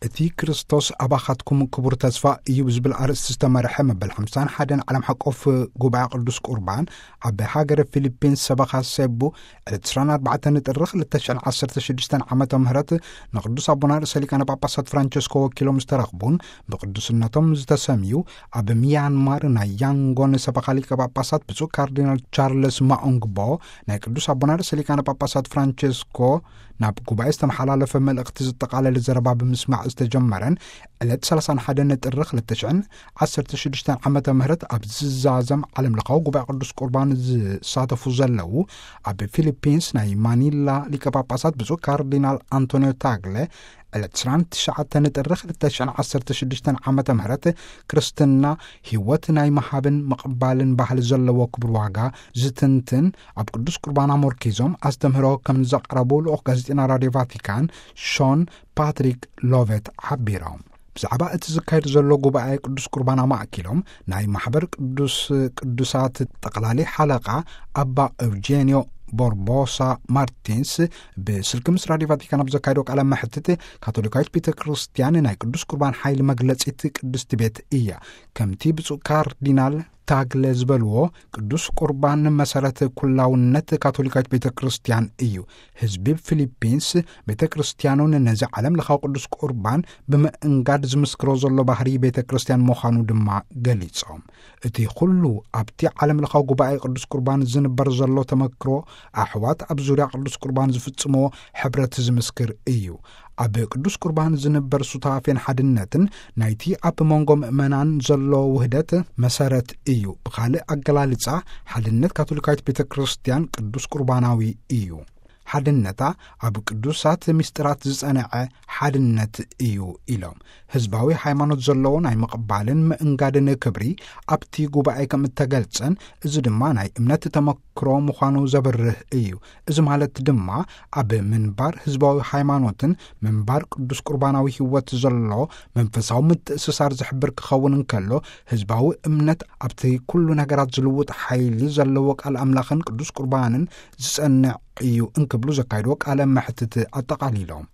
እቲ ክርስቶስ ኣባኻትኩም ክቡር ተስፋ እዩ ብዝብል ኣርእስቲ ዝተመርሐ መበል ሓምሳን ሓደን ዓለም ሓቆፍ ጉባኤ ቅዱስ ቁርባን ኣብ ሃገረ ፊሊፒንስ ሰበኻ ሴቡ ዕለት ዕስራን ኣርባዕተን ጥሪ ክልተ ሽሕን ዓሰርተ ሽዱሽተን ዓመተ ምህረት ንቅዱስ ኣቦና ርእሰ ሊቃነ ጳጳሳት ፍራንቸስኮ ወኪሎም ዝተረኽቡን ብቅዱስነቶም ዝተሰምዩ ኣብ ሚያንማር ናይ ያንጎን ሰበኻ ሊቀ ጳጳሳት ብፁዕ ካርዲናል ቻርለስ ማኦንግቦ ናይ ቅዱስ ኣቦና ርእሰ ሊቃነ ጳጳሳት ፍራንቸስኮ ናብ ጉባኤ ዝተመሓላለፈ መልእኽቲ ዝጠቓለለ ዘረባ ብምስማዕ ዝተጀመረን ዕለት ሰላሳን ሓደን ጥሪ ክልተ ሽሕን ዓሰርተ ሽዱሽተን ዓመተ ምህረት ኣብ ዝዛዘም ዓለም ለኻዊ ጉባኤ ቅዱስ ቁርባን ዝሳተፉ ዘለዉ ኣብ ፊሊፒንስ ናይ ማኒላ ሊቀ ጳጳሳት ብፁዕ ካርዲናል ኣንቶኒዮ ታግለ ዕለት ዕስራን ትሽዓተን ጥሪ ክልተ ሽሕን ዓሰርተ ሽዱሽተን ዓመተ ምህረት ክርስትና ህይወት ናይ ምሃብን ምቕባልን ባህሊ ዘለዎ ክቡር ዋጋ ዝትንትን ኣብ ቅዱስ ቁርባን ኣመርኪዞም ኣስተምህሮ ከም ዘቕረቡ ልኡኽ ጋዜጠኛ ራድዮ ቫቲካን ሾን ፓትሪክ ሎቨት ሓቢሮም። ብዛዕባ እቲ ዝካየድ ዘሎ ጉባኤ ቅዱስ ቁርባን ኣማእኪሎም ናይ ማሕበር ቅዱስ ቅዱሳት ጠቕላሊ ሓለቓ ኣባ ኤውጄንዮ ቦርቦሳ ማርቲንስ ብስልኪ ምስ ራድዮ ቫቲካን ኣብ ዘካየዶ ቃለ መሕትት፣ ካቶሊካዊት ቤተ ክርስቲያን ናይ ቅዱስ ቁርባን ሓይሊ መግለጺት ቅድስቲ ቤት እያ። ከምቲ ብፁዕ ካርዲናል ታግለ ዝበልዎ፣ ቅዱስ ቁርባን መሰረት ኩላውነት ካቶሊካዊት ቤተ ክርስቲያን እዩ። ህዝቢ ፊሊፒንስ ቤተ ክርስቲያኑን ነዚ ዓለም ለኻዊ ቅዱስ ቁርባን ብምእንጋድ ዝምስክሮ ዘሎ ባህሪ ቤተ ክርስቲያን ምዃኑ ድማ ገሊጾም። እቲ ኩሉ ኣብቲ ዓለም ለኻዊ ጉባኤ ቅዱስ ቁርባን ዝንበር ዘሎ ተመክሮ ኣሕዋት ኣብ ዙርያ ቅዱስ ቁርባን ዝፍጽምዎ ሕብረት ዝምስክር እዩ። ኣብ ቅዱስ ቁርባን ዝንበር ሱታፌን ሓድነትን ናይቲ ኣብ መንጎ ምእመናን ዘሎ ውህደት መሰረት እዩ። ብኻልእ ኣገላልጻ፣ ሓድነት ካቶሊካዊት ቤተ ክርስቲያን ቅዱስ ቁርባናዊ እዩ። ሓድነታ ኣብ ቅዱሳት ምስጢራት ዝጸንዐ ሓድነት እዩ ኢሎም። ህዝባዊ ሃይማኖት ዘለዎ ናይ ምቕባልን ምእንጋድን ክብሪ ኣብቲ ጉባኤ ከም እተገልጸን፣ እዚ ድማ ናይ እምነት ተመክሮ ምዃኑ ዘብርህ እዩ። እዚ ማለት ድማ ኣብ ምንባር ህዝባዊ ሃይማኖትን ምንባር ቅዱስ ቁርባናዊ ህይወት ዘሎ መንፈሳዊ ምትእስሳር ዝሕብር ክኸውን እንከሎ፣ ህዝባዊ እምነት ኣብቲ ኩሉ ነገራት ዝልውጥ ሓይሊ ዘለዎ ቃል ኣምላኽን ቅዱስ ቁርባንን ዝጸንዕ እዩ እንክብሉ ዘካየድዎ ቃለ መሕትት ኣጠቓሊሎም።